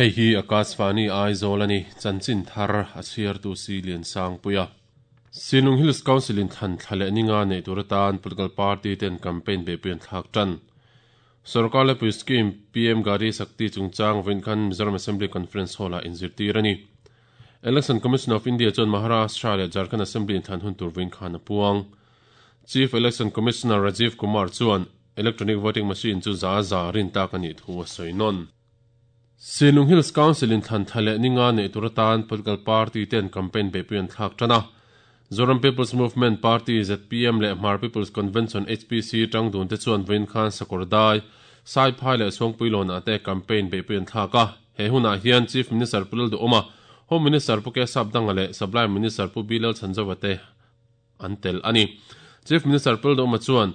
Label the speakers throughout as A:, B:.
A: Hei hi Akashvani Aizawl a ni, chanchin thar a chhiartu si Liansangpuia. Sinlung Hills Council in thlan thla leh ninga neih tur atan political party ten campaign beihpui an thlak tan. Sorkar lepui scheme PM Gari Shakti chungchang vawiin khan Mizoram Assembly Conference Hall-ah inzirtir a ni. Election Commission of India chuan Maharashtra leh Jharkhand Assembly inthlan hun tur vawiin khan a puang. Chief Election Commissioner Rajiv Kumar chuan Electronic Voting Machine chu za za rin tak a nih thu a sawi nawn. Sinlung Hills Council in thlan thla leh ninga neih tur atan political party ten campaign beihpui an thlak tan a. Zoram People's Movement Party, zpm, leh Hmar People's Convention, HPC, tang dun te chuan vawiin khan Sakawrdai, Saiphai leh Suangpuilawnah te campaign beihpui an thlak a. He hunah hian Chief Minister Pu Lalduhawma, Home Minister Pu Kesapdanga leh Supply Minister Pu B Lalchhanzova te an tel a ni. Chief Minister Pu Lalduhawma chuan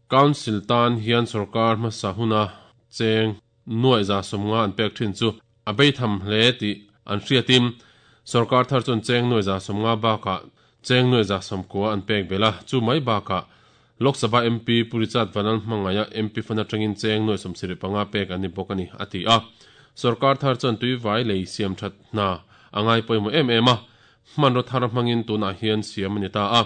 A: Council tan hian sorkar hmasa huna cheng nuaih 150 an pek thin chu a beitham hle tih an hriatin sorkar thar chuan cheng nuaih 150 bakah cheng nuaih 90 an pek belh a, chu mai bakah Lok Sabha MP Pu Richard Vanal hmangaia MP fund atangin cheng nuaih 75 pek an ni bawk a ni, a ti a. Sorkar thar chuan tuivai lei siam that hna a ngai pawimawh em em a, hmanraw thar hmangin tunah hian siam a ni ta a.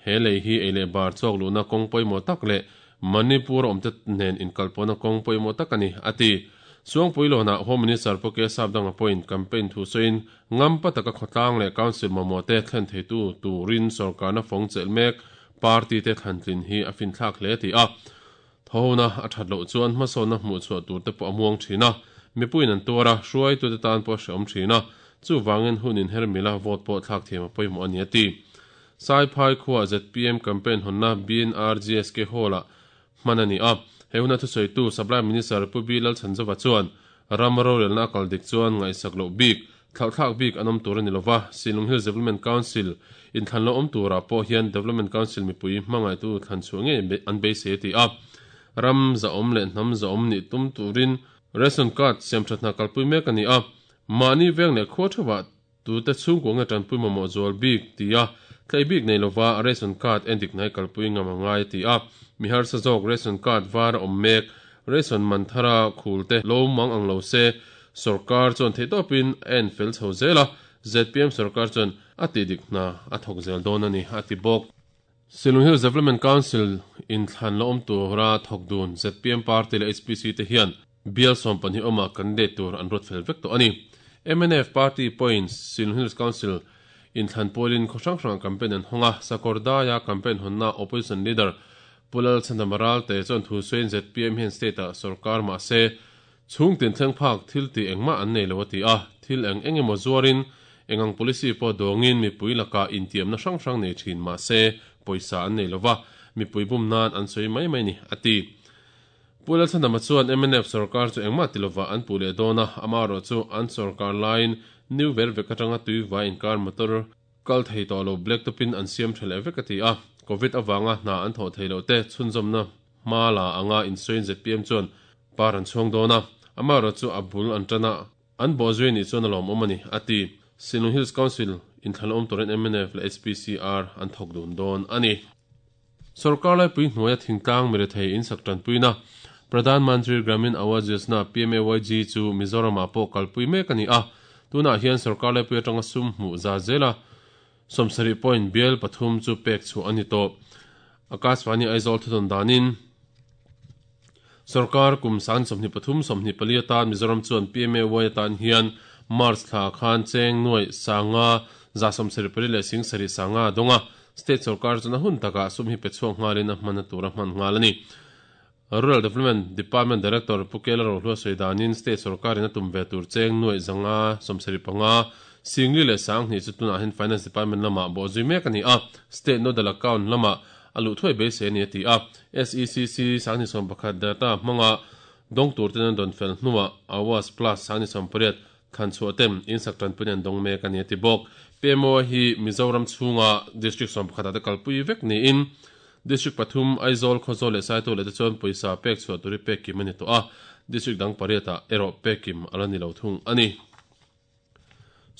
A: He lei hi ei leh bar chawk luhna kawng pawimawh tak leh Manipur awmte nen inkalpawhna kawng pawimawh tak a ni, a ti. Suangpuilawnah Home Minister Pu Kesap Danga pawhin campaign thu sawiin ngampa taka khawtlang leh Council mamawhte thlen theitu turin sorkarna fawng chelh mek party te thlantlin hi a finthlak hle ti a. Thawhona a that loh chuan hmasawnna hmuhchhuah tur te pawh a muang thin a, mipuiin an tuar a, hruaitute tan pawh a hrehawm thin a, chuvangin hun inher mila vote pawh thlak thiam a pawimawh a ni a ti. Saiphai khuaa zpm campaign hawnna BNRGSK Hall-ah hman a ni a, he huna thusawitu Supply Minister Pu B Lalchhanzova chuan ram rorelna a kal dik chuan ngaihsak loh bik, thlauhthlak bik an awm tur a ni lova, Silung Hills Development Council inthlan lo awm turah pawh hian Development Council mipui hmangaihtu thlan chhuah ngei an beisei a ti a. Ram zahawm leh hnam zahawm nih tum turin Ration Card siamthat hna kalpui mek a ni a, mahni veng leh khua theuhah Tute chhungkua nge tanpui mamawh zual bik tia thlei bik nei lova ration card endik hnai kalpui ngam a ngai a ti a. Mi harsa zawk ration card var a awm mek, ration man thara khul te lo mang ang lo se sorkar chuan theihtawpin a en fel chho zel a, zpm sorkar chuan a tih dik hna a thawk zel dawn a ni a ti bawk. Silung Hills Development Council in thlan la awm tura thawk dun zpm party leh HPC te hian Bial 12 awmah candidate tur an ruat fel vek tawh a ni. Mnf party pawhin Silung Hills Council inthlan pawlin khaw hrang hrangah campaign an hawng a, Sakawrdaia campaign hawnna Opposition Leader Pu Lalchhandama Ralte chuan thu sawiin zpm hian state-ah sorkar mah se chhung tin thleng phak thil tih engmah an nei lo a ti a, thil eng eng emaw zuarin eng ang policy pawh dawngin mipui lakah intiamna hrang hrang nei thin mah se pawisa an nei lova, mipui bum nan an sawi mai mai ni a ti. Pu Lalchhandama chuan mnf sorkar chu engmah ti lovah an puh leh dawn a, amaherawh chu an sorkar laiin New Ver vek atanga tuivai inkar motor kal thei tawh lo black top in an siam tha leh vek a ti a, Covid avanga hna an thawh thei loh te chhunzawmna hma la anga insawiin zpm chuan par an chhuang dawn a, amaherawh chu a bul an tan a, an bawhzui anih chuan a lawmawm a ni, a ti. Sinlung Hills Council inthlan awm turin mnf leh HPCR an thawk dun dawn a ni. Sorkar laipui hnuaia thingtlang mirethei insak tanpuina Pradhan Mantri Gramin Awas Yojana, PMAYG, chu Mizoramah pawh kalpui mek a ni a. Tunah hian sorkar laipui atanga sum hmuh za zela 70 point bial pathum chu pek chhuah a ni tawh. Akashvani Aizawl thudawn danin sorkar kum san 23 24 atan Mizoram chuan PMAY atan hian March thla khan cheng nuai sanga 74 leh sing sarih sanga a dawng a. State sorkar chuan a hun takah sum hi pe chhuak nghalin a hman a tur a hman nghal a ni. Rural Development Department Director Pu Kela Rohlua sawi danin State sorkarin a tum ve tur cheng nuaih zanga 75 singli leh 2000 chu tunah hian Finance Department lamah bawhzui mek a ni a, State Nodal Account lamah a luh thuai beisei a ni a ti a. SECC 2011 data hmanga dawng tur ten an dawn fel hnuah Awas Plus 2018 Thlan chhuah tem insak tanpuina an dawng mek a ni a ti bawk. PMO hi Mizoram chhunga District 11 ah te kalpui vek niin District pathum Aizawl, Khawzawl leh Saitual leh te chuan pawisa pek chhuah tur hi pek kim a ni tawh a, District dang pariat ah erawh pek kim a la ni lo thung a ni.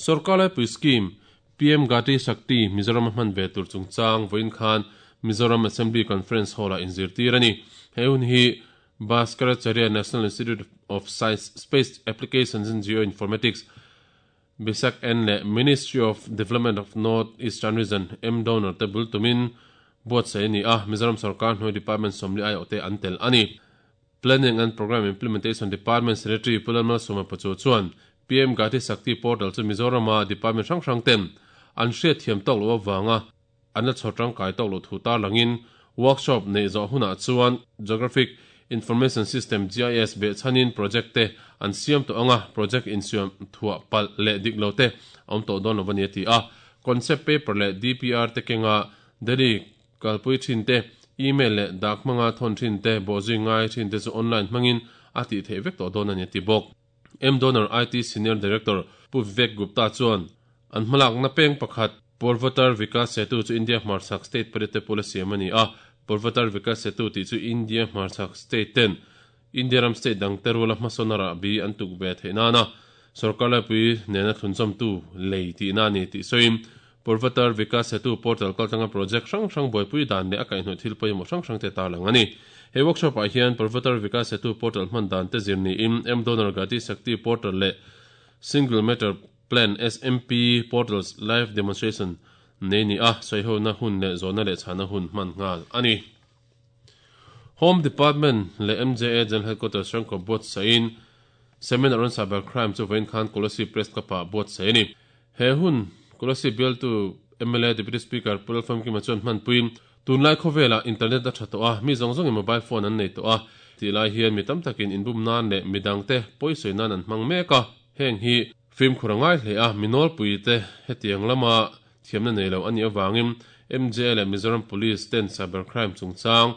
A: Sorkar laipui scheme PM Gati Shakti Mizoram a hman ve tur chungchang vawiin khan Mizoram Assembly Conference Hall ah inzirtir a ni. He hun hi. Bhaskaracharya National Institute of Science Space Applications and Geoinformatics, BISAG-N leh Ministry of Development of North Eastern Region, M-Donor, te bul tumin buatsaih a ni a, Mizoram sorkar hnuai department 40 aiawhte an tel a ni. Planning and Programme Implementation Department Secretary Pu Lalmalsawma Pachuau chuan PM Gati Shakti Portal chu Mizorama department hrang hrang ten an hriatthiam tawk loh avanga an la chhawr tangkai tawk loh thu tarlangin workshop neih zawh hunah chuan Geographic Information System, GIS, behchhanin project te an siam tawh anga project insiam thuah palh leh dik lo te a awm tawh dawn lo a ni a ti a. Concept paper leh DPR te kenga Delhi kalpui thin te, email leh dak hmanga thawn thin te, bawhzui ngai thin te chu online hmangin a tih theih vek tawh dawn a ni a ti bawk. M-Donor IT Senior Director Pu Vivek Gupta chuan an hmalakna peng pakhat Purvotar Vikas Setu chu India hmarchhak state pariat te pawla siam a ni a, Purvotar Vikas Setu tih chu India hmarchhak state ten India ram state dang te ruala hmasawn a rahbi an tuk ve theih nana sorkar laipui nena thlunzawmtu lei tihna a ni tih sawiin Purvotar Vikas Setu portal kaltlanga project hrang hrang buaipui dan leh a kaihhnawih thil pawimawh hrang hrang te tarlang a ni. He workshop ah hian Purvotar Vikas Setu portal hman dan te zir niin M-Donor Gati Shakti portal leh Single Matter Plan, SMP, portals live demonstration nei ni a, sawihona hun leh zawhna leh chhana hun hman nghal a ni. Home Department leh MJA General Headquarters hrangkawp buatsaihin Seminar on Cyber Crime chu vawiin khan Kolasib Press Club-ah buatsaih a ni. He hun Kolasib bialtu mla Deputy Speaker Pu Lalfamkima chuan hmanpuiin tunlai khawvelah internet a tha tawh a, mi zawng zawngin mobile phone an nei tawh a, tih lai hian mi tam takin inbum nan leh midangte pawisawi nan an hmang mek a, heng hi fimkhur a ngai hle a, mi nawlpuite hetiang lama Thiamna nei lo a nih avangin MJA leh Mizoram Police ten cyber crime chungchang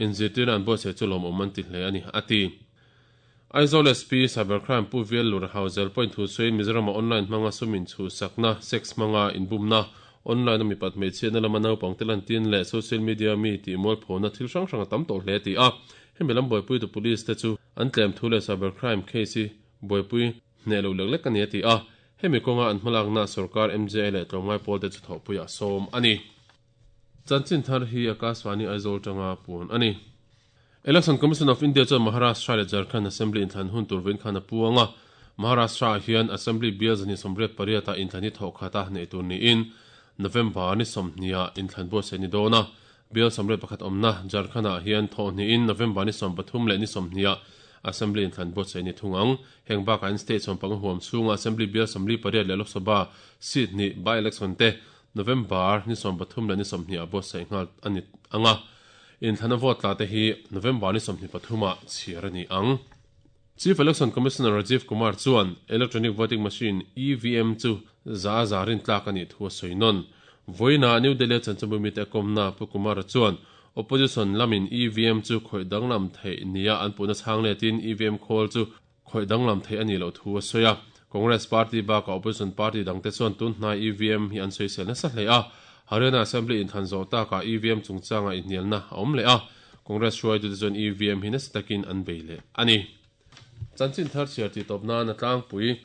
A: inzirtirna an buatsaih chu lawmawm an ti hle a ni, a ti. Aizawl SP Cyber Crime Pu Vial Lur Hauzel pawhin thu sawiin Mizorama online hmanga sum inchhuhsakna, sex hmanga inbumna, online a mipat hmeichhiatna lama naupangte lantin leh social media mi tih mualphona thil hrang hrang a tam tawh hle a ti a. Hemi lam buaipuitu police te chu an tlem thu leh cyber crime case hi buaipui hneh lo lek lek a ni a ti a. Hemi kawnga an hmalakna sorkar MJA leh tlawmngai pawlte chu thawhpuiah sawm a ni. Chanchin thar hi Akashvani Aizawl tanga puan a ni. Election Commission of India chuan Maharashtra leh Jharkhand Assembly inthlan hun tur vawiin khan a puang a. Maharashtra-ah hian Assembly bial 288 ah inthlan hi thawh khata neih tur niin November ni 20 ah inthlan buatsaih ni dawn a. Bial 81 awmna Jharkhand-ah hian thawh hnihin November ni 13 leh ni 20 ah Assembly inthlan buatsaih ni thung ang. Heng bakah in state 15 huam chhunga Assembly bial 48 leh Lok Sabha seat hnih by-election te November ni 13 leh ni 20 ah buatsaih nghal a ni ang a. Inthlana vote tla te hi November ni 23 ah chhiar a ni ang. Chief Election Commissioner Rajiv Kumar chuan Electronic Voting Machine, EVM, chu za a za rintlak a nih thu a sawi nawn. Vawiinah New Delhi-a chanchinbu mite a kawmna Pu Kumar-a chuan Opposition lamin EVM chu khawih danglam theih nia an puhna chhang letin EVM khawl chu khawih danglam theih a nih loh thu a sawi a. Congress party bakah opposition party dangte chuan tun hnai EVM hi an sawisel nasa hle a. Haryana Assembly inthlan zawh takah EVM chungchangah inhnialna a awm leh a. Congress hruaitute chuan EVM hi nasa takin an bei leh a ni. Chanchin thar chhiar tih tawp nan a tlangpui.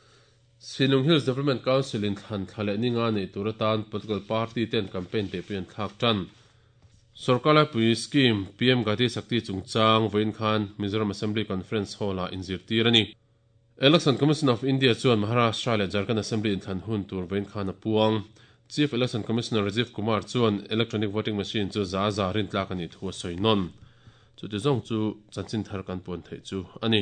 A: Sinlung Hills Development Council in thlan thla leh ninga neih tur atan political party ten campaign peihpui an thlak tan. Sorkar laipui scheme PM Gati Shakti chungchang vawiin khan Mizoram Assembly Conference Hall-ah inzirtir a ni. Election Commission of India chuan Maharashtra leh Jharkhand Assembly inthlan hun tur vawiin khan a puang. Chief Election Commissioner Rajiv Kumar chuan electronic voting machine chu za za rintlak a nih thu a sawi nawn. Chuti zawng chu chanchin thar kan puan theih chu a ni.